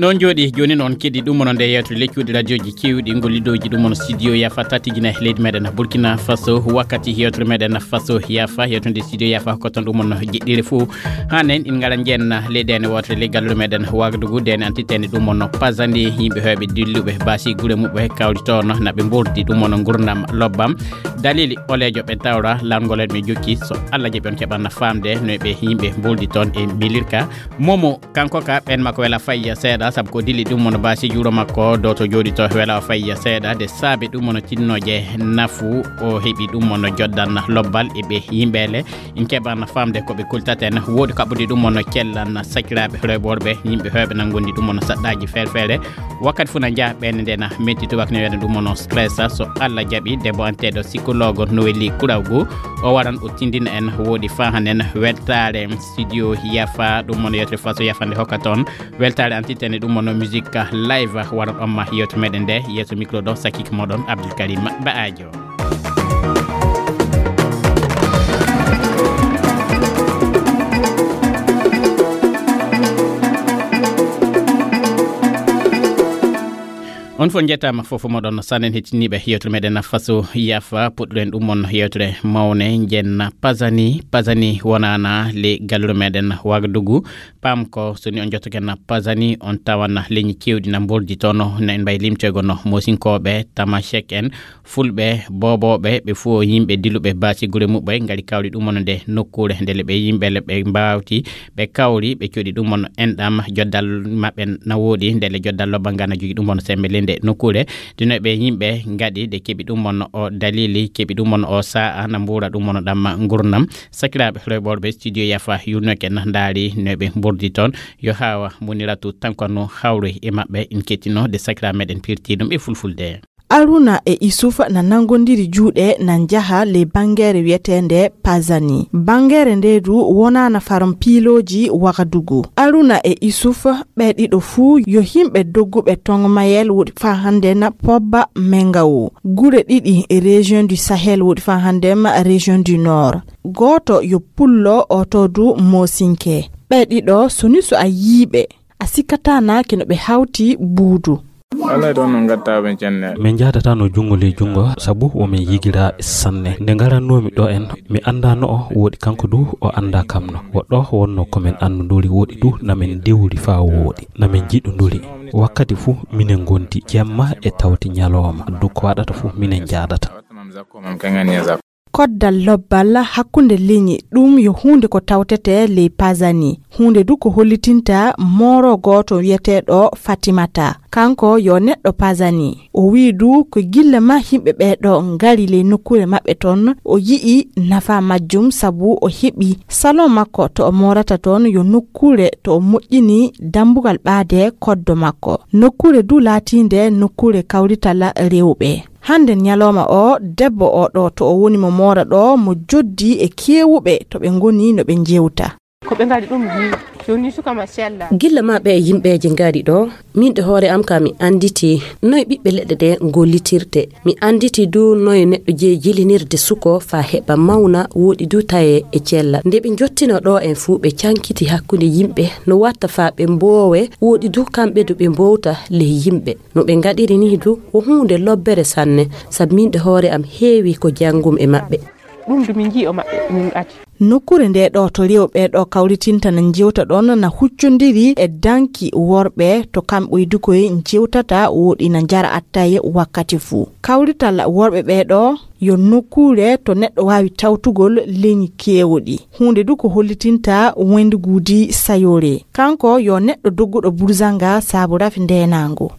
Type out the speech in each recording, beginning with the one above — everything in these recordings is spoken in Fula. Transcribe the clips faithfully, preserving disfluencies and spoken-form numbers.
Ɗon jooɗi jooni noon keɗi ɗum onon nde yewtere leccuɗi radioji keewɗi ngol liɗoji ɗum onon studio yafa tatijina e leydi meɗen Burkina Faso. Wakkati yewtere meɗen Faso yafa, yewtere nde studio yafa ko toon ɗum onon jeɗɗire fof. Hanen in ngara jeenna leydi ene wotere ley galluɗo meɗen Wagadugu, dene antitene ɗum onon pasani yimɓe heɓe dilluɓe basi gure muɓɓe kawri toon naɓe mbordi ɗum onon gurdam lobbam. Dalili olejo ɓe tawra lanngol en ɓe jokki, so Allah jaɓi on keɓanna famde no ɓe yimɓe mboldi toon e milirka. Momo kanko ka ɓen makko wela fayya seeɗa, sabu ko dili ɗum mono basi juuro makko doto jooɗi to wela o fayya seeɗa. De saabe ɗum mono tinnoje nafu o heɓi ɗum mono joddan lobbal e ɓe yimɓele. In keɓanna famde ko ɓe kultaten woodi kaɓɓude ɗum mono cellan sakiraaɓe rewɓe worɓe yimɓe heɓe nan gondi ɗum mono saɗɗaji ferfere. Wakkati fof na njaha ɓen nde na metti tubak ne wiyata ɗum mono stress. So Allah jaɓi debbo anteɗo psychologue no welli kurawgu o waran o tindina en woodi fahanen weltare studio yafa ɗum mono yewtere faso yafande hokka toon. Weltare antitene ɗum mono musique live waran on ma yewto meɗen nde yeeso micro ɗo sakik moɗon Abdoul Karim Ba'ajo. On fof njettaama fof moɗon sanen hettiniiɓe yewtere meɗen faso yafa puɗɗuɗen ɗum on yewtere mawne njenna pasani pasani wonana le gallure meɗen Wagadugu. Pam ko so ni on jottoken pasani on tawana leñi kewɗi na mboldi tono na en mbayi limtoygo no mosinkooɓe tamashek en fulɓe boobooɓe ɓe fof yimɓe diluɓe baasi gure muɓɓe ngari kawri ɗum on nde nokkuure ndele ɓe yimɓe le ɓe mbawti ɓe kawri ɓe coɗi ɗum on enɗam joddal maɓɓe na woodi ndele joddal lobba nga na jogi ɗum on sembe le nde nokkuure dino ɓe yimɓe ngaɗi ɗe keɓi ɗum on o dalili keɓi ɗum on o sa'a na mbuura ɗum on ɗam ngurnam. Sakiraaɓe rewɓorɓe studio yafa yurnoke na ndaari no ɓe mbordi toon yo hawa muniratu tankano hawroy e maɓɓe en kettino de sakiraaɓe meɗen pirti ɗum e fulfulde. Aruna e Isufa na nangondiri juuɗe na njaha ley bangeere wiyeteende Pazani. Bangeere nde du wonana faron piilooji Wagadugu. Aruna e Isufa ɓe ɗiɗo fuu yo himɓe dogguɓe tongo mayel woɗi faa hande na Pobba Mengawo. Gure ɗiɗi e région du Sahel woɗi faa hande ma région du Nord. Gooto yo pullo oto du Mosinke. Ɓe ɗiɗo soni so a yiiɓe a sikkataa naaki no ɓe hawti buudu. Alaa ɗon no ngattaɓe cenne. Min njahdata no junngo ley junngo sabu womin yigiraaɓe sanne. Nde ngarannoomi ɗo en, mi anndaa no o woɗi kanko du o anndaa kam no. Woɗɗo wonno ko min anndondori woɗi du na min dewri faa wooɗi, na min njiɗondori. Wakkati fuu minen ngondi jemma e tawti ñalooma, du ko waɗata fuu minen njaadata. Koddal lobbal hakkunde leñi ɗum yo huunde ko tawtete ley Pazani. Huunde du ko hollitinta mooro gooto wiyeteeɗo Fatimata. Kanko yo neɗɗo Pazani. O wi'i du ko gilla ma yimɓe ɓee ɗo ngari ley nokkuure maɓɓe ton, o yi'i nafa majjum sabu o heɓi salon makko to o moorata ton yo nokkuure to o moƴƴini dambugal ɓaade koddo makko. Nokkuure du laatiinde nokkuure kawrital rewɓe. Hande ñalawma o, debbo o ɗo to o woni mo moora ɗo, mo joddi e keewuɓe to ɓe ngoni no ɓe jewta. Ko ɓe ngari ɗum ni, joni suka machallah. Gilla ma ɓe yimɓeje ngari ɗo, min ɗe hoore am ka mi anditi noye ɓiɓɓe leɗɗe ɗe gollitirte. Mi anditi du noye neɗɗo jeyi jilinirde suko fa heɓa mawna, woɗi du taye e cella. Nde ɓe jottino ɗo en fu, ɓe cankiti hakkunde yimɓe, no watta fa ɓe mboowe, woɗi du kamɓe du ɓe mbowta ley yimɓe. No ɓe ngaɗiri ni du, ko huunde lobbere sanne, sabu min ɗe hoore am heewi ko janngum e maɓɓe. Ɗum du min nji'i o maɓɓe, min ati. Nokkuure nde ɗo to rewɓe ɗo kawritinta na jewta ɗon na huccondiri e danki worɓe to kamɓe du koye jewtata woɗi na njara attaye wakkati fuu. Kawrital worɓe ɓe ɗo yo nokkuure to neɗɗo waawi tawtugol leñi keewɗi. Huunde du ko hollitinta wenduguudi sayoore. Kanko yo neɗɗo dogguɗo burzanga saabu rafi ndeenaango.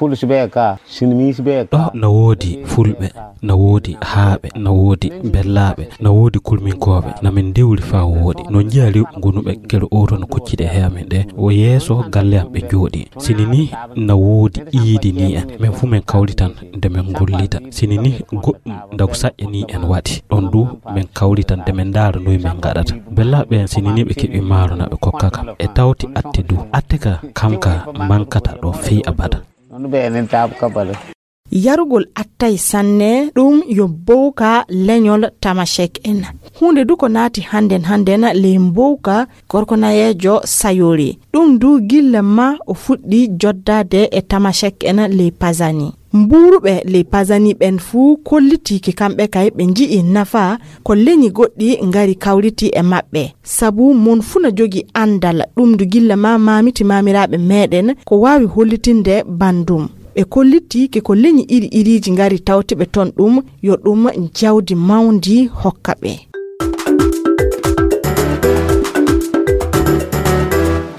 Fulɓe ka, sinmi ɓe ka. Ɗo na woodi fulɓe, na woodi haaɓe, na woodi bellaaɓe, na woodi kulminkooɓe, na min ndewri faa wooɗi. No njiya rewɓe gonuɓe gere oto no kocciɗe he amen ɗe, o yeeso galle am ɓe njooɗi. Sini ni na woodi iidi ni en, min fu min kawritan nde min ngollita. Sini ni goɗɗum ndagu saƴƴa ni en waɗi. Ɗon du min kawritan nde min ndaara noy min ngaɗata. Bellaaɓe en sini ni ɓe keɓi maaro na ɓe kokka kam. E tawti atte du. Atte ka kam ka mankata ɗo fey abada. Noon ɓe enen taabu kabale. Yarugol attay sanne, ɗum yo mbowka leñol Tamashek en. Huunde du ko naati hannden hannden ley mbowka gorko nayeejo Sayori. Ɗum du gilla ma o fuɗɗi joddaade e Tamashek en ley Pazani. Mbuuruɓe ley Pazani ɓen fuu kollitii ke kamɓe kay ɓe nji'i nafa ko leñi goɗɗi ngari kawriti e maɓɓe. Sabu mon fuu na jogi anndal, ɗum du gilla ma maamiti maamiraaɓe meeɗen ko waawi hollitinde banndum. Ɓe kollitii ke ko leñi iri iriiji ngari tawti ɓe ton, ɗum yo ɗum jawdi mawndi hokka ɓe.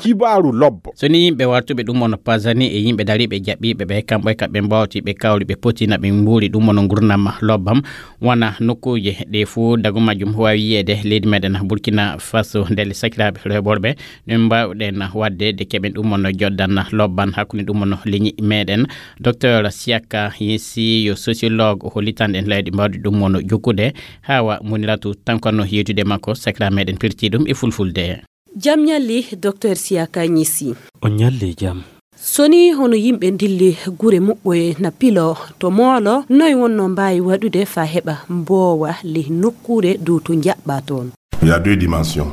Kibaaru lobbo. So ni yimɓe wartuɓe ɗum ono Pazani e yimɓe dariiɓe jaɓɓiiɓe ɓe, kamɓe e kamɓe mbawti ɓe kawri ɓe potina ɓe mbuuri ɗum ono ngurnam lobbam, wana nokkuuje ɗe fuu dagu majjum waawi yiyeede leydi meɗen Burkina Faso. Ndelle sakiraaɓe reeɓorɓe, ɗum mbaawɗen waɗde de keɓen ɗum ono joddan lobban hakkunde ɗum ono leñi meɗen. Docteur Siaka Yesi yo sociologue, o hollitan en leyɗe mbawɗi ɗum ono jokkude. Hawa Muniratu Tankano yewtude makko, sakiraaɓe meɗen pirti ɗum e fulfulde. Jam ñalli, Docteur Siaka Ñisi. On ñalli jam. So ni hono yimɓe ndilli gure muɓɓoye na pilo to moolo, noy wonno mbaawi waɗude faa heɓa mboowa ley nokkuure dow to njaɓɓa toon? Il y a deux dimensions.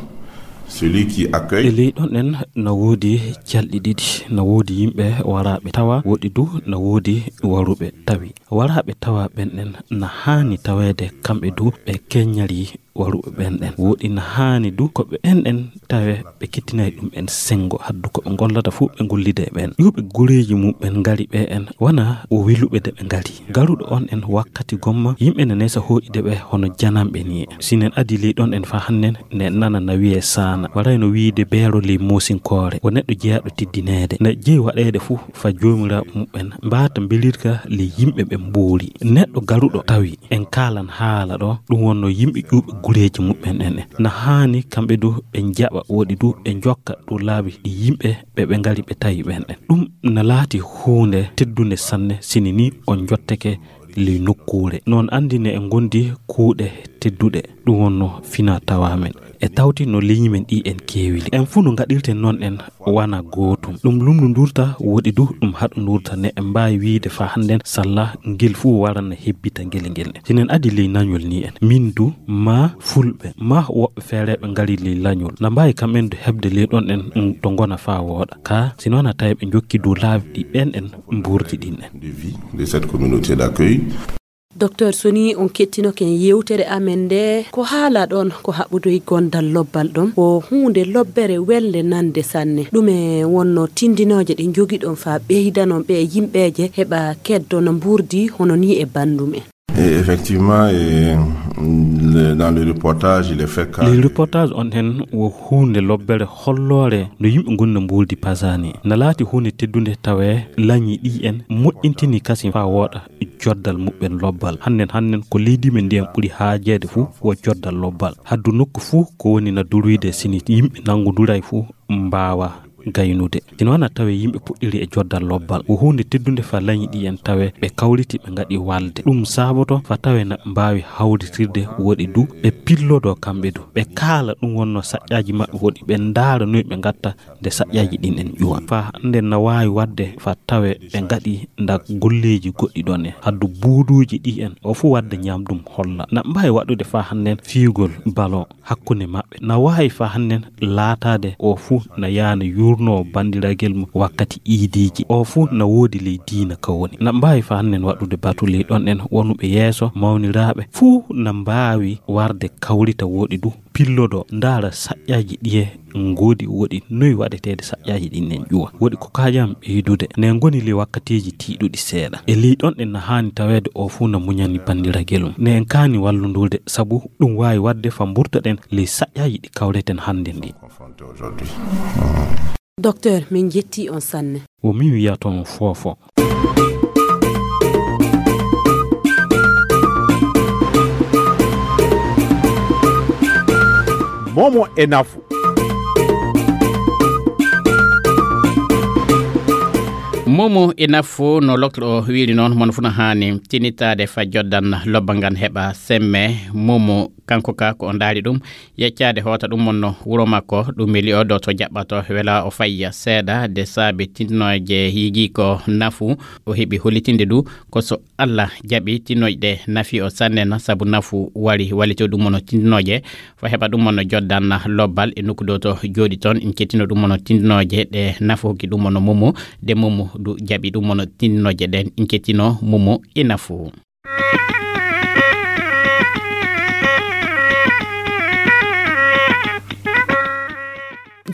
Celui qui accueille. E ley ɗon en na woodi calɗi ɗiɗi, na woodi yimɓe waraaɓe tawa, woɗi du na woodi waruɓe tawi. Waraaɓe tawa ɓen ɗen na haani taweede kamɓe du ɓe keññarii waruɓe ɓen ɗen. Woɗi na haani du ko ɓe en ɗen tawe ɓe kettinay ɗum en senngo, haddu ko ɓe ngollata fuu ɓe ngollida e ɓen. Ƴuuɓe gureeji muɓɓen ngari ɓe en, wana o weluɓe de ɓe ngari. Garuɗo on en wakkati gomma, yimɓe ne nesa hooƴude ɓe hono jananɓe ni. Si nen adi ley ɗon en faa hannen, ne nana na wiyee saana. Waray no wiide beero ley moosinkoore. O neɗɗo jeyaaɗo teddineede. Ne jeyi waɗeede fuu faa joomiraaɓe muɓɓen mbaata mbelirka ley yimɓe ɓe mbuuri. Neɗɗo garuɗo tawi en kaalan haala ɗo, ɗum wonno yimɓe ƴuuɓe gureeji muɓɓen en. Na haani kamɓe du ɓe njaɓa, woɗi du ɓe njokka dow laabi ɗi yimɓe ɓe ɓe ngari ɓe tawi ɓen ɗen. Ɗum na laati huunde teddunde sanne, sini ni on njotteke ley nokkuure. Non anndi ne e ngondi kuuɗe tedduɗe, ɗum wonno fina tawa men. E tawti no leñi men ɗi en keewili. En fuu no ngaɗirten non en wana gootum. Ɗum lumndundurta, woɗi du ɗum haɗundurta, ne en mbaawi wiide faa hannden salla ngel fuu waran na hebbita ngel ngel. Si nen adi ley nañol ni en, min du, maa fulɓe, maa woɓɓe feereeɓe ngari ley lañol, na mbaawi kamɓen du heɓde ley ɗon en, mm, to ngona faa wooɗa. Kaa, si noon a tawi ɓe njokki dow laabi ɗi ɓen en mbuurdi ɗin en. De vie de cette communauté d'accueil. Docteur, so ni on kettinoke yewtere amen nde, ko haala ɗon ko haɓudoy gondal lobbal ɗon, ko huunde lobbere welde nande sanne. Ɗume wonno tindinooje ɗe njogiɗon faa ɓeydanon ɓe yimɓeeje heɓa keddo no mbuurdi hono ni e banndum en? Et effectivement, et, le- dans le reportage, il est fait cas. Ley reportage on hen wo huunde lobbere holloore no yimɓe ngoni no mbuurdi Pazani. Na laati huunde teddunde tawe lañi ɗi en moƴƴintini kasin faa wooɗa joddal muɓɓen lobbal. Hannen, hannen ko leydi men ndiyan ɓuri haajeede fuu wo joddal lobbal. Haddu nokku fuu ko woni na durwide sini yimɓe nanngunduray fuu mbaawa gaynude. Ina wana tawe yimɓe puɗɗiri e joddal lobbal. Wo huunde teddunde faa lañi ɗi en tawe ɓe kawriti ɓe ngaɗi walde. Ɗum saaboto faa tawe na ɓe mbaawi hawritirde woɗi du ɓe pillodo kamɓe du. Ɓe kaala ɗum wonno saƴƴaaji maɓɓe woɗi ɓe ndaara noy ɓe ngatta nde saƴƴaaji ɗin en ƴuwa. Faa hannden na waawi waɗde faa tawe ɓe ngaɗi nda golleeji goɗɗi ɗon en. Haddu buuduuji ɗi en, o fuu waɗde ñaamdum holla. Na mbaawi waɗude faa hannden fiyugol balon hakkunde maɓɓe. Na waawi faa hannden laataade o fuu na yaana yuurnoo banndiragel mum wakkati iidiiji. O fuu na woodi ley diina ka woni. Na mbaawi faa hannden waɗude batu ley ɗon en wonuɓe yeeso mawniraaɓe. Fuu na mbaawi warde kawrita woɗi du pillodo, ndaara saƴƴaaji ɗiye ngoodi woɗi, noy waɗeteede saƴƴaaji ɗin en ƴuwa. Woɗi ko kaajam ɓeydude. Ne ngoni ley wakkatiiji tiiɗuɗi seeɗa. E ley ɗon en na haani taweede o fuu na muñani banndiragel mum. Ne en kaani wallundurde, sabu ɗum waawi waɗde faa mburtoɗen ley saƴƴaaji ɗi kawreten hannde ndi. Docteur, min njetti on sanne. Wo min wiyaton foofo. Momo e nafu. Momo e nafu no lokto o wiiri noon, mono fuu no haani tinitaade fa joddan lobba ngan heɓa semme. Momo kanko ka ko o ndaari ɗum, yeccaade hoota ɗum wonno wuro makko, ɗum weli o ɗo to jaɓɓato wela o fayya seeɗa de saabi tintinooje yigi ko nafu. O heɓi hollitinde du ko so Allah jaɓi tinnoyɗe nafi o sannen, sabu nafu wari wallito ɗum wonno tintinooje fa heɓa ɗum wonno joddan lobbal e nokku ɗo to jooɗi toon. En kettino ɗum wonno tintinooje ɗe nafu hokki ɗum wonno Momo, de Momo du jaɓi ɗum wonno tintinooje ɗen. En kettino Momo e nafu.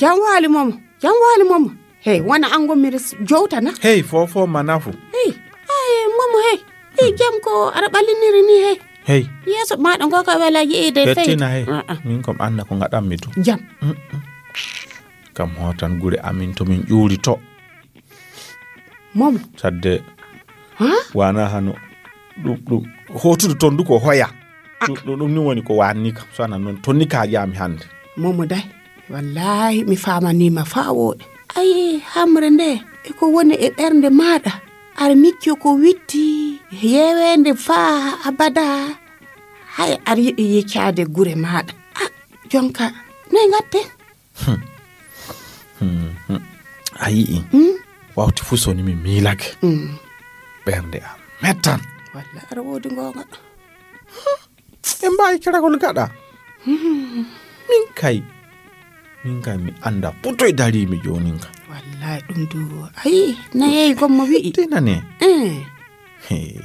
Jam waali Momo, jam waali Momo. Hey, wona an ngonmi res-, jowtana. Hey, fofo ma nafu. Hey, ay, Momo, hey. Hey, jam ko aɗa ɓalliniri ni, hey. Hey. Yeeso maɗa ngo ka wela yi'ide, fey. Hettina, hey. Ah, ah. Min kom anda ko ngaɗanmi to. Jam. Mm, mm. Kam hotan gure amin to min ƴuuri to. Momo. Sadde. Ha? Wana hano. Ɗum, ɗum. Hotude ton du ko hoya. Ah. Ɗum, ɗum, ɗum ni woni ko wanni kam. So ana noon, tonni ka jaami hannde. Momo day. Wallahi, mi faamaniima faa wooɗi. Ayi, hamre nde, e ko woni e ɓernde maaɗa? Aɗa micco ko witti, yeeweende faa abada. Hay aɗa yiɗi yeccaade gure maaɗa. Ah, jonka, noy ngatte? Hmm. Hmm, hmm. A yi'i? Hmm? Wawti fuu so ni mi miilake. Hmm. Ɓernde am mettan. Walla aɗa woodi ngoonga. Hmm. En mbaawi keragol gaɗa. Hmm. Min kay. Min kay mi annda putoy dariimi joonin ka. Wallahi ɗum du. Ayi, na yeeyi gommo wi'i. Tinane. Eh. He.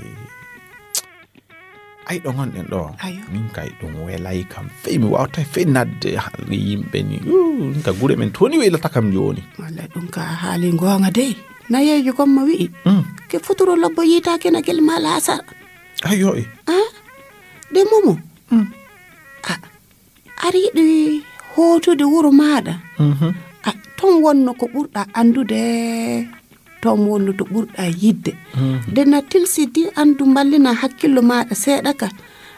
Ay ɗo ngonɗen ɗo. Ayo. Min kay ɗum welay kam. Fey mi wawtay fey nadde haalde yimɓe ni. Uu, min ka gure men toni welata kam jooni. Walla ɗum ka haali ngoonga dey. Na yeeyi gommo wi'i. Mm. Ke futuro lobbo yiita kena gel ma laasar. Ayo e. Ah? De Momo. Mm. Ah. Aɗa yiɗi hootude wuro maaɗa? Mhm. A, toon wonno ko ɓurɗa anndude, toon wonno to ɓurɗa yiɗde. Mhm. Nde na tilsidi anndu mballina hakkillo maaɗa seeɗa ka.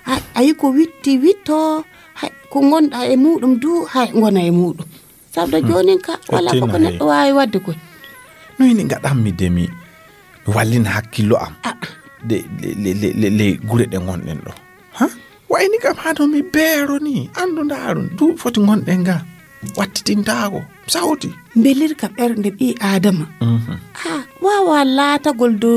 A, ayi ko witti witto, hay ko ngonɗa e muɗum du, hay ngona e muɗum. Sabu da Hmm. joonin ka, wala ko Tina, ko neɗɗo hey. waawi waɗde koy. No ini ngaɗanmi de mi, mi wallina hakkillo am. Ah. De, le, le, le, le, le gure ɗe ngonɗen ɗo. Ha? Wayni kam hano mi beero ni. Anndu ndaaru, duuɓi foti ngonɗen ga. Wattitintaako. Sawti. Mbelirka ɓernde ɓii Aadama. Mhm. Ah, waawa laatagol do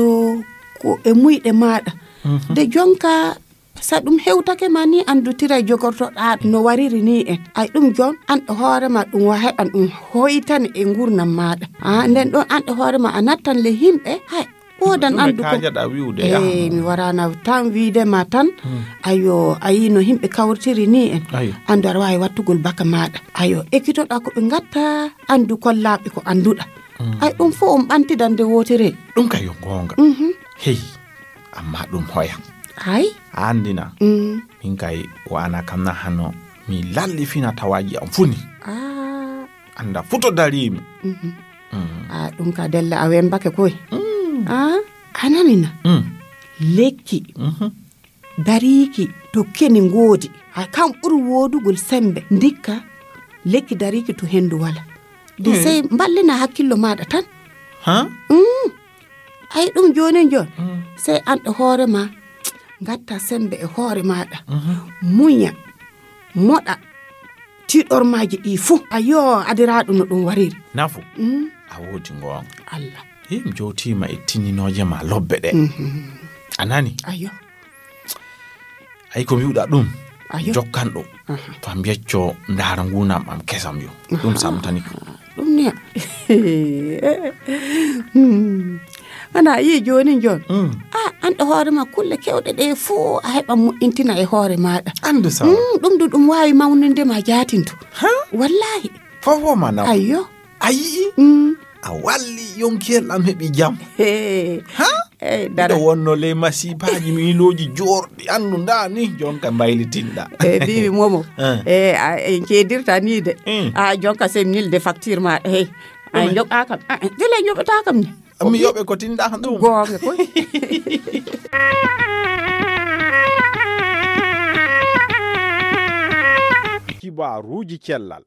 ko e muyɗe maaɗa. Mhm. De jonka sa ɗum hewtake ma ni, anndu tiray jogortoɗaa no wariri ni en. Ay ɗum jon, an e hoore ma ɗum wa heɓan ɗum hoytani e ngurnam maaɗa. Ah, nden ɗon an e hoore ma a nattan le himɓe. Hay, wodan Ɗum e anndu ko. kaajaɗaa wi'ude, Eh, yaha. mi warana tan wi'de ma tan. Hmm. Ayo, ayi no himɓe kawrtiri ni en. Ayo. Anndu aɗa waawi wattugol baka maaɗa. Ayo, ekkitoɗaa ko ɓe ngatta, anndu kollaaɓe ko annduɗaa. Hmm. Ay ɗum fof on ɓantidan nde wootere. Ɗum ka yo goonga. Mhm. Hey, amma ɗum hoya. Ay. A anndina. Mm. Min kay wana kam na hano mi lalli fina tawaaji am funi. Ah. Annda futo dariimi. Mhm. Mm. Ah, ɗum ka della a wembake koy. Mm. Ah, a nanina. Mm. Lekki. Mhm. Dariiki to keni ngoodi. Ha kam ɓuri woodugol sembe. Ndikka lekki dariiki to hendu wala. De Mm. sey mballina hakkillo maaɗa tan. Ha? Mm. Ay ɗum joonin joon. Mm. Sey an e hoore ma. Ngatta sembe e hoore maaɗa. Mhm. Muña. Moɗa. Tiiɗormaaji ɗi fuu. Ayo, adiraaɗo no ɗum wariri. Nafu. Mm. A woodi ngoonga. Allah. Him jowtiima e tinninooje ma lobbe ɗe. Mhm. A nani? Ayo. Ay ko mbi'uɗaa ɗum. Ayo. Jokkan ɗum. Aha. Fam yecco ndaara nguunam am kesam yo. Ɗum Aha. samtani kam. Ɗum ne. Hmm. Ana yi jooni joon. Mm. Ah, an e hoore ma kulle kewɗe ɗe fuu a heɓan moƴƴintina e hoore maaɗa. Anndu sawa. Mm, ɗum du ɗum waawi mawninde ma jaatinto. Ha? Wallahi. Fof wo ma naw. Ayyo. A yi'i? Mm. A walli yonkiyel am heɓi jam. He. Ha? Ey, dara. Miɗo wonno ley masibaaji miilooji joorɗi anndu ndaa ni jonka mbaylitinɗa. E biiwi momo. Eh. E a en ceedirta ni de. Mm. A jonka sem nil de facture ma. Hey. A Ɗume? Joɓa kam. A dele joɓata kam ni. Mi yoɓe ko tinɗa ɗum. Goonga koy. Kibaruuji cellal.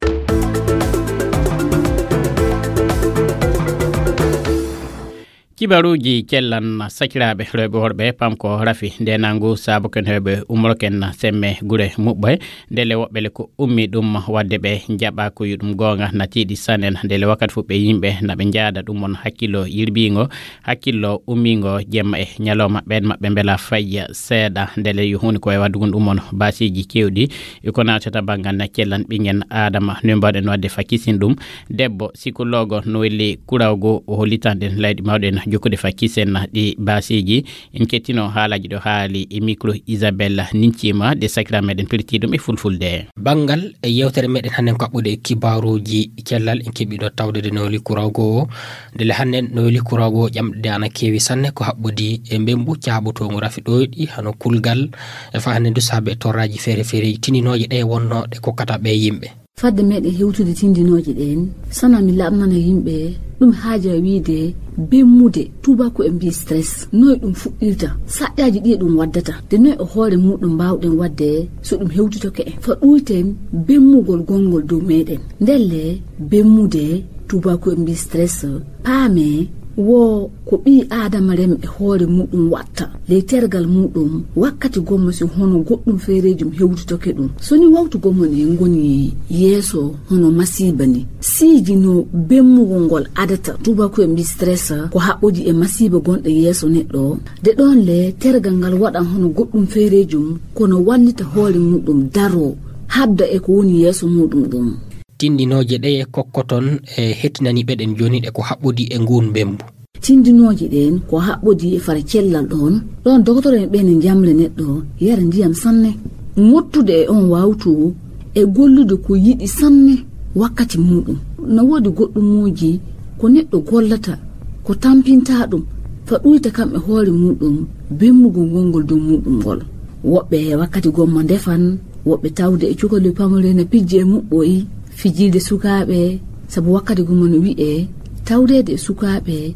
Kibaruuji cellan sakiraaɓe rewɓe worɓe, pamko rafi ndenangu saabu ken heɓe umroken semme gure muɓɓe. Ndele woɓɓe le ko ummi ɗum wadde ɓe njaɓa ko yuɗum goonga na tiiɗi sanen. Ndele wakkati fof ɓe yimɓe na ɓe njaada ɗum on hakkillo yirbiingo, hakkillo ummiingo jemma e ñalawma ɓeen maɓɓe mbela fayya seeɗa. Ndele yo huunde ko e waɗugol ɗum on baasiiji keewɗi. E ko naatata banngal na cellan ɓingen Aadama, no mbaɗen waɗde fa kisin ɗum. Debbo sikologo no welli kuraw goo o hollitan ɗen layɗi mawɗi en jokkude fa kisen ɗi baasiiji. En kettino haalaji ɗo haali e micro Isabella Nincima de sakira meɗen pirti ɗum e fulfulde. Banngal e yewtere meɗen hannde ko haɓɓude e kibaruuji cellal en keɓi ɗo tawde de no welli kuraw goo o. Ndele hannde no welli kuraw goo ƴamɗe ana keewi sanne ko haɓɓudi e mbembu caaɓotoogu rafi ɗoyɗi hano kulgal e fa hannde ndu saabe e torraaji feere feereeji tindinooje ɗe wonnoo ɗe kokkata ɓe yimɓe. Fadde meɗen hewtude tindinooje ɗeen, sana mi laaɓnana yimɓe ɗum haaja wiide bemmude, tuubaaku en mbiyi stress, noy ɗum fuɗɗirta, saƴƴaaji ɗi ɗum waddata, de noy e hoore muɗum mbaawɗen waɗde so ɗum hewtitoke en. Fa ɗuyten bemmugol gonngol dow meɗen. Ndelle bemmude, tuubaaku en mbiyi stress, paame wo ko ɓii Aadama rem e hoore muɗum watta ley tergal muɗum wakkati gomma si hono goɗɗum feereejum hewtitoke ɗum. So ni wawtu gomma ne ngoni yeeso hono masiiba ni. Siiji no bemmugol ngol adata, tuubaaku en mbiyi stress, ko haɓɓodi e masiiba gonɗo yeeso neɗɗo. De ɗoon le tergal ngal waɗan hono goɗɗum feereejum kono wallita hoore muɗum daroo habda e ko woni yeeso muɗum ɗum. Tindinooje ɗeye kokkoton e hettinaniiɓe ɗen jooni ɗe ko haɓɓodi e nguun mbembu? Tindinooje ɗeen ko haɓɓodi e fara cellal ɗoon. Ɗoon dokotoro en ɓeen e njamre neɗɗo yara ndiyam sanne. Ŋottude e on wawtu e gollude ko yiɗi sanne wakkati muɗum. Na woodi goɗɗumuuji ko neɗɗo gollata ko tampinta ɗum fa ɗuyta kam e hoore muɗum bemmugol ngol ngol dow muɗum ngol. Woɓɓe wakkati gomma ndefan, woɓɓe tawde e cukali pamare na pijji e muɓɓoyi, fijirde sukaaɓe, sabu wakkati gomma no wi'e tawdeede e sukaaɓe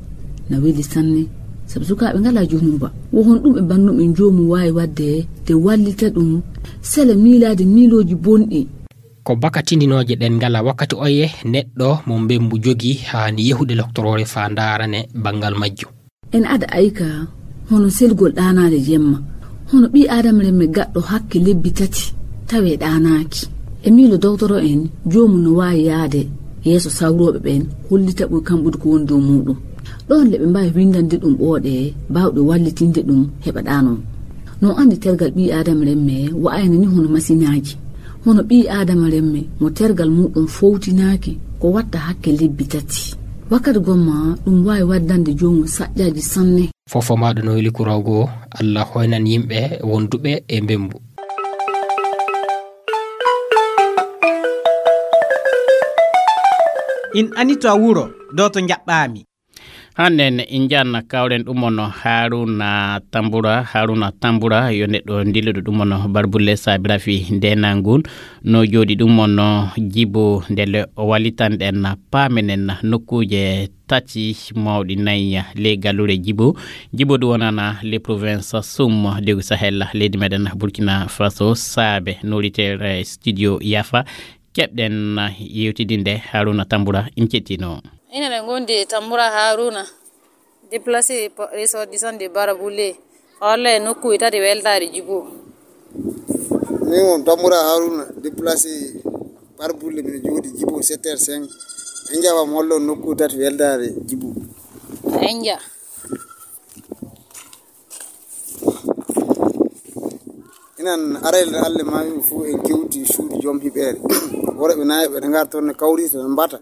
na weli sanne, sabu sukaaɓe ngalaa junumba. Wo hon ɗum e banndum en joomum waawi waɗde de wallita ɗum sela miilaade miilooji bonɗi. Ko baka tindinooje ɗen ngala wakkati oye neɗɗo mo mbembu jogi haani yehude loktoroore faa ndaarane banngal majjum. En ada ayka hono selgol ɗaanaade jemma, hono ɓii Aadama remme gaɗɗo hakke lebbi tati tawee ɗaanaaki. E miilo dowtoro en, joomum no waawi yaade yeeso sawrooɓe ɓen, hollita ɓuri kamɓude ko woni dow muuɗum. Ɗoon le ɓe mbaawi winndande ɗum ɓooɗe baawɗe wallitinde ɗum heɓa ɗaanoo. No anndi tergal ɓii Aadama remme wa'ayna ni hono masinaaji. Hono ɓii Aadama remme mo tergal muuɗum fowtinaaki ko watta hakke lebbi tati. Wakkati gomma ɗum waawi waddande joomum saƴƴaaji sanne. Fofo maaɗo no weli kuraw goo, Allah hoynan yimɓe wonduɓe e mbembu. In anito a wuro, do to njaɓɓaami. Hannden in njanna kawren ɗum on Haruna Tambura. Haruna Tambura yo neɗɗo ndilluɗo ɗum on barbulle saabirafi ndenangun no jooɗi ɗum on jibo ndele o wallitanɗen paamenen nokkuuje tati mawɗi nayi ley gallure jibo. Jibo ɗum wonana les provinces sum degu Sahel leydi meɗen Burkina Faso saabe noritere studio Yafa. Keɓɗen yewtidinde Haruna Tambura in cettino. Ina ɗe ngondi e Tambura Haruna, déplacé po-, ressortissant de Baraboulle, holle e nokkuuje tati weltaare Djibo. Min on Tambura Haruna, déplacé Baraboulle, mino jooɗi Djibo sept heures cinq. En jaɓam hollo nokkuuje tati weltaare Djibo. En ja. Inan arayde Alla maami fof en kewti suudu joom hiɓeere. Worɓe nayi ɓe ngar toon ne kawrita ne mbata.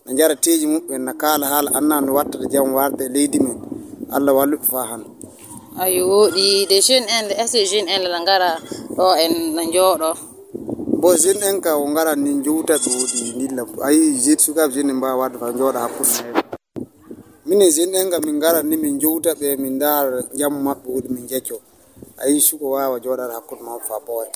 Na njara teeji muɓɓen, na kaala haala annda no wattata jam warde e leydi men. Allah wallu ɓe faa han. Ayo, woɗi de jeune en, est-ce que jeune en la ngara ɗo en na njooɗo? Bo jeune en ka o ngara ni njowta ɓe woɗi ndilla. Ayi, jeune sukaaɓe jeune en mbaawa warde faa njooɗa hakkunde men. Minen jeune en ka min ngara ni min njowta ɓe, min ndaara jam maɓɓe woɗi min jecco. Ayi, suko waawa jooɗaade hakkunde maɓɓe faa ɓooya.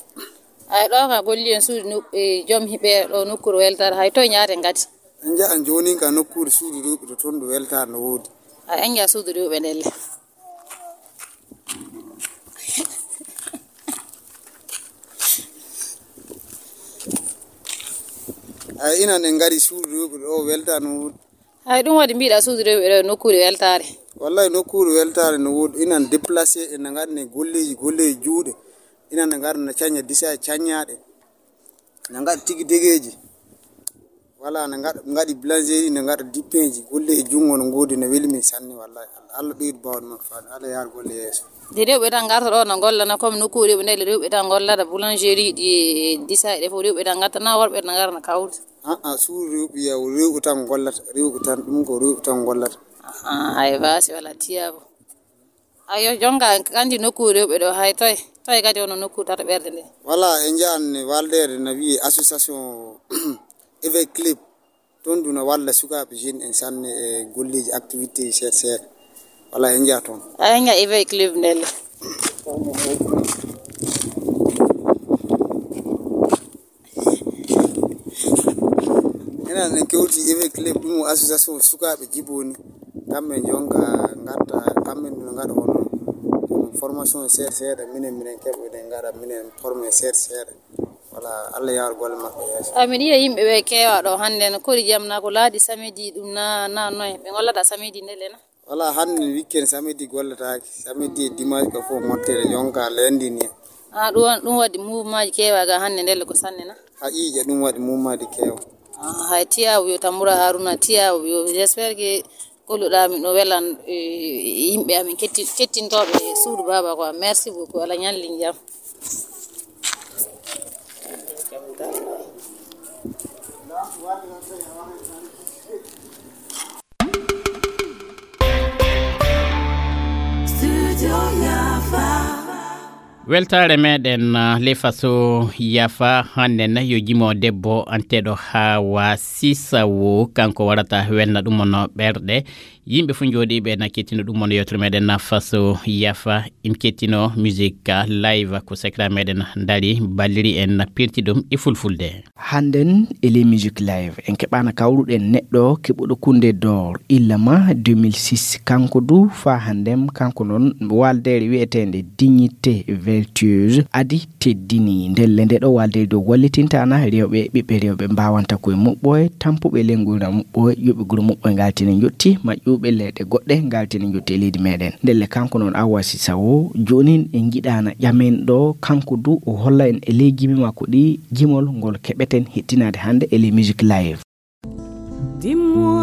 Ay, ɗo ka golli en suudu nu-, e, joom hiɓeere ɗo nokkuure weltaare, hay toye njaaten kadi? En njahan jooni ka nokkuure suudu rewɓe to, toon ɗo weltaare no woodi. Ay, en njaha suudu rewɓe ndelle. Ay, inan en ngari suudu rewɓe ɗo weltaare no woodi. Hay ɗum waɗi mbiɗa suudu rewɓe ɗo nokkuure weltaare. Wallahi, nokkuure weltaare no woodi. Ina déplacé, ina ngaɗa golleeji, golleeji juuɗe. Ina ngaɗa na caña disa e cañaaɗe. Ina ngaɗa tigi degeeji. Wala, ina ngaɗa, ngaɗi boulangerie, ina ngaɗa dippeeji. Golleeji junngo no ngoodi, no weli min sanne, wallahi. Allah ɓeydu baawɗe makko, faade. Allah yaar golle yeeso. De rewɓe tan ngarta ɗo no ngollana, comme nokkuure rewɓe nde, rewɓe tan ngollata, boulangerie ɗi, disa e ɗe fof rewɓe tan ngarta, na worɓe tan ngarta kawrude? Ah, ah, suur rewɓe, yaw, rewɓe tan ngollata, rewɓe tan, ɗum ko rewɓe tan ngollata. Ah, hay baasi wala tiyaabu. Ayo, jonga kandi nokkuure rewɓe ɗo, hay toye, toye kadi hono nokkuure tata ɓerde nde? Wala, e njaan waldeede na wiye association Éveil Club. Toon du na walla sukaaɓe jeune en sanne e golleeji activité seeɗa seeɗa. Wala, en njaa toon. A en njaa Éveil Club ndelle. Enen en kewti Éveil Club, ɗum o association sukaaɓe jiboni. Kamɓe njonka ngatta, kamɓe ndu ngaɗa hono, hono formation seeɗa seeɗa, minen, minen keɓoɗen ngaɗa, minen formé seeɗa seeɗa. Wala, Allah yaar golle maɓɓe yeeso. Amin yiya yimɓe ɓe keewa ɗo hannde, no kori jam na ko laaɗi samedi ɗum na, na noy? Ɓe ngollata samedi ndelle na? Wala, hannde weekend, samedi gollataake. Samedi e dimanche ko fof mottere, yonka lundi ni. Ah, ɗum, ɗum waɗi mouvement ji keewa ga hannde ndelle ko sanne na? Haqiiqa, ɗum waɗi mouvement ji keewa. Ah, hay tiyaabu yo Tamboura Harouna, tiyaabu yo, j'espère que golluɗaa min ɗo welan, eh, yimɓe amin ketti-, kettintooɓe suudu baaba quoi. Merci beaucoup. Allah ñalli jam. Weltaare meɗen, ah, le faso yafa hannde na yo jimo debbo anteɗo Hawa Sisawo, kanko warata welna ɗum no ɓerɗe. Yimɓe fof jooɗiiɓe na kettino ɗum no yewtere meɗen na faso yafa, im kettino musique live ko secret meɗen dari balliri en na pirti ɗum e fulfulde. Hannden e les musique live en keɓaana kawruɗen neɗɗo keɓuɗo kunde d'or illa ma deux mille six, kanko du faa hannden, kanko noon waaldeere wi'eteende Dignité Vertueuse adi teddini. Ndelle nde ɗo waaldeere dow wallitintaana rewɓe, ɓiɓɓe rewɓe mbaawanta koye muɓɓoye, tampuɓe lengol na muɓɓoye, yoɓe guro muɓɓoye ngaltini njotti, maƴƴuɓe leyɗe goɗɗe ngaltini njotti e leydi meɗen. Ndelle kanko noon Hawa Sisawo, joonin en njiɗaana ƴamen ɗo, kanko du o holla en e ley jimi makko ɗi jimol ngol keɓeten hettinaade hannde e les musique live. Dis-moi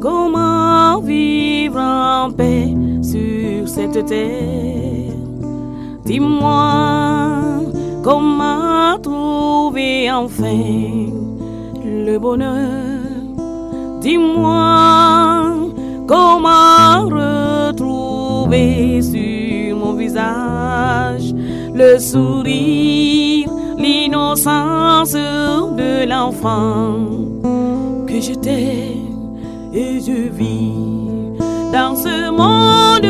comment vivre en paix sur cette terre. Dis-moi comment trouver enfin le bonheur. Dis-moi comment retrouver sur mon visage le sourire, l'innocence de l'enfant. Que je t'aime et je vis dans ce monde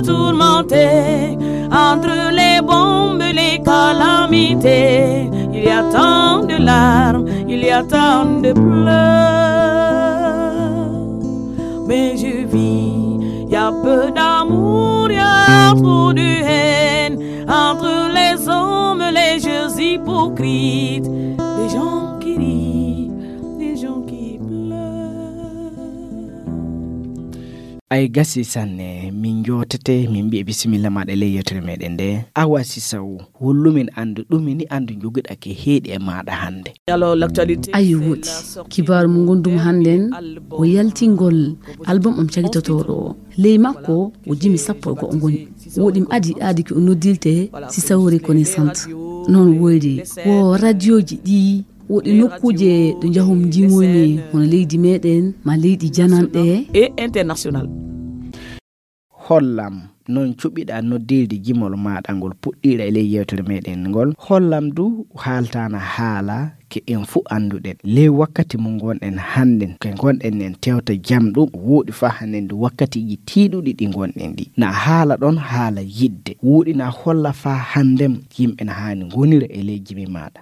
tourmenté, entre les bombes, les calamités. Il y a tant de larmes, il y a tant de pleurs. Mais je vis, il y a peu d'amour, il y a trop de haine. Entre les hommes, les jeux hypocrites, des gens qui rient, des gens qui pleurent. Ay gasi sanne, min jootete, min mbiya bisimilla maɗa ley yewtere meɗen nde. Awa Sisaw, hollumin anndu ɗumini anndu jogiɗa ke heeɗi e maɗa hannde. Alors, l'actualité, ayi c'est woɗi la sortie kibaaru mo gondumi hannden o yaltingol album am cagitotoɗo o. Ley makko o jimi sappo e go'o ngoni. Woɗi mi adi aadi ko o noddirte Sisaw Reconnaissante. Noon woyri wo radioji ɗi woɗi nokkuuje ɗo njahum jimoyni hono leydi meɗen ma leydi jananɗe. Et international. Hollam noon cuɓiɗa noddirde jimol maɗa ngol puɗɗiɗa e ley yewtere meɗen ngol. Hollam du haaltana haala ke en fuu annduɗen. Ley wakkati mo ngonɗen hannden, ke ngonɗen en tewta jam ɗum, woɗi faa hannden du wakkatiiji tiiɗuɗi ɗi ngonɗen ɗi. Na haala ɗon haala yidde. Woɗi na holla faa hannden yimɓe na haani ngonira e ley jimi maɗa.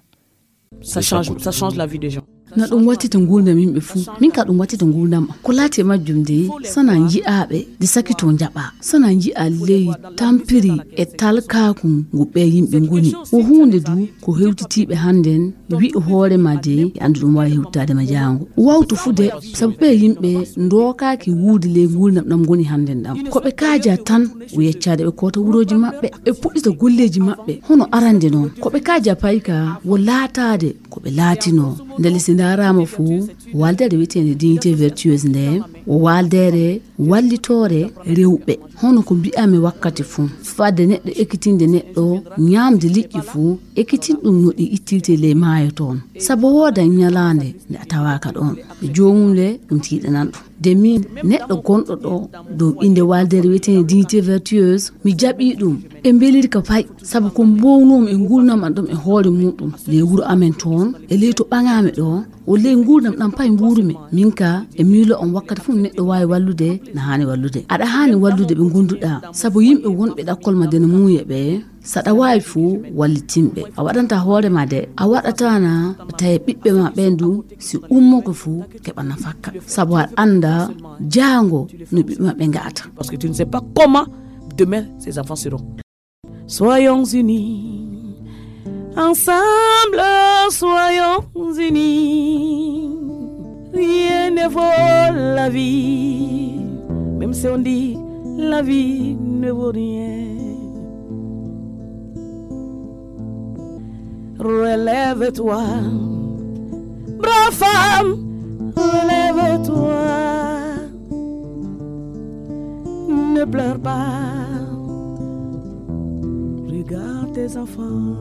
Ça change, ça change la vie des gens. Na ɗum wattita nguurndam yimɓe fuu. Min ka ɗum wattita nguurndam am. Ko laati e majjum de, sana nji'aaɓe de sakito njaɓa. Sana nji'a ley tampiri e talkaaku ngu ɓe yimɓe ngoni. Ko huunde du ko hewtitiiɓe hannden wi'i hoore ma de, e anndu ɗum waawi hewtaade ma jaango. Wawtu fuu de, sabu ɓe yimɓe ndookaaki wuude ley nguurndam ɗam ngoni hannden ɗam. Ko ɓe kaaja tan, o yeccaade ɓe koota wurooji maɓɓe, ɓe puɗɗita golleeji maɓɓe, hono arande noon. Ko ɓe kaaja payka, wo laataade ko ɓe laatinoo. Ndelle si ndaaraama fuu, waaldeere wiyeteende dignité vertueuse nde, wo waaldeere wallitoore rewɓe. Hono ko mbi'ami wakkati fuu, fadde neɗɗo ekkitinde neɗɗo ñaamde liƴƴi fuu, ekkitin ɗum no ɗi ittirte ley maayo toon. Sabu wooda ñalaande nde a tawaaka ɗoon. Ɓe joomum le ɗum tiiɗanan ɗum. De min, neɗɗo gonɗo ɗo dow innde waaldeere wiyeteende dignité vertueuse, mi jaɓii ɗum. E mbelir ka pay, sabu ko mbownoomi e nguurndam am ɗam e hoore muɗum, ley wuro amen toon, e ley to ɓaŋaami ɗo, o ley nguurndam ɗam pay mbuurumi. Min ka, e miilo on wakkati fof neɗɗo waawi wallude, na haani wallude. Aɗa haani wallude ɓe ngonduɗaa, sabu yimɓe wonɓe ɗakkol ma de no muuye ɓe, saɗa waawi fuu wallitinɓe. A waɗanta hoore ma de, a waɗatana tawi ɓiɓɓe ma ɓen du, si ummoko fuu keɓa nafakka. Sabu aɗa annda jaango no ɓiɓɓe maɓɓe nga'ata. Parce que tu ne sais pas comment demain ces enfants seront. Soyons unis, ensemble, soyons unis. Rien ne vaut la vie, même si on dit la vie ne vaut rien. Relève-toi, brave femme, relève-toi. Ne pleure pas. Regarde tes enfants.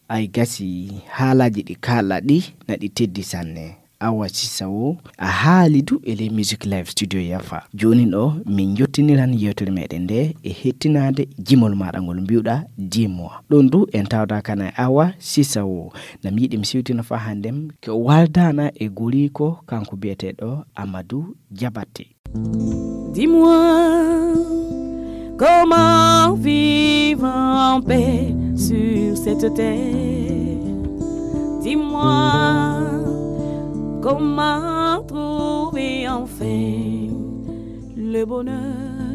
Ay gasi, haalaaji ɗi kaala ɗi na ɗi teddi sanne. Awa Sisa o, a haali du e ley Music Live Studio Yafa. Jooni ɗo, min jottiniran yewtere meɗen nde e hettinaade jimol maɗa ngol mbi'uɗa Dis-moi. Ɗon du en tawda kana e Awa Sisa o. Na mi yiɗi mi siwtina fa hannden ko waaldaana e goriiko kanko biyeteeɗo Amadou Diabaté. Dis-moi, comment vivre en paix sur cette terre? Dis-moi, comment trouver enfin le bonheur?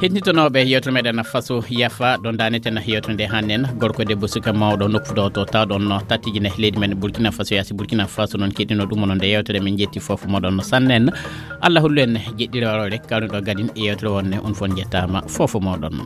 Hetnitonooɓe yewtere meɗen Faso Yafa, ɗon daaneten yewtere nde hannen. Gorko e debbo, suka mawɗo, nokku ɗo to tawɗon no tattiji nde leydi men Burkina Faso, yaasi Burkina Faso noon keɗino ɗum onon nde yewtere. Min jetti fofo moɗon no sannen. Allah hollu en jeɗɗiroore rek kawni ɗo gadin e yewtere wonne. On fof njettaama fofo moɗon.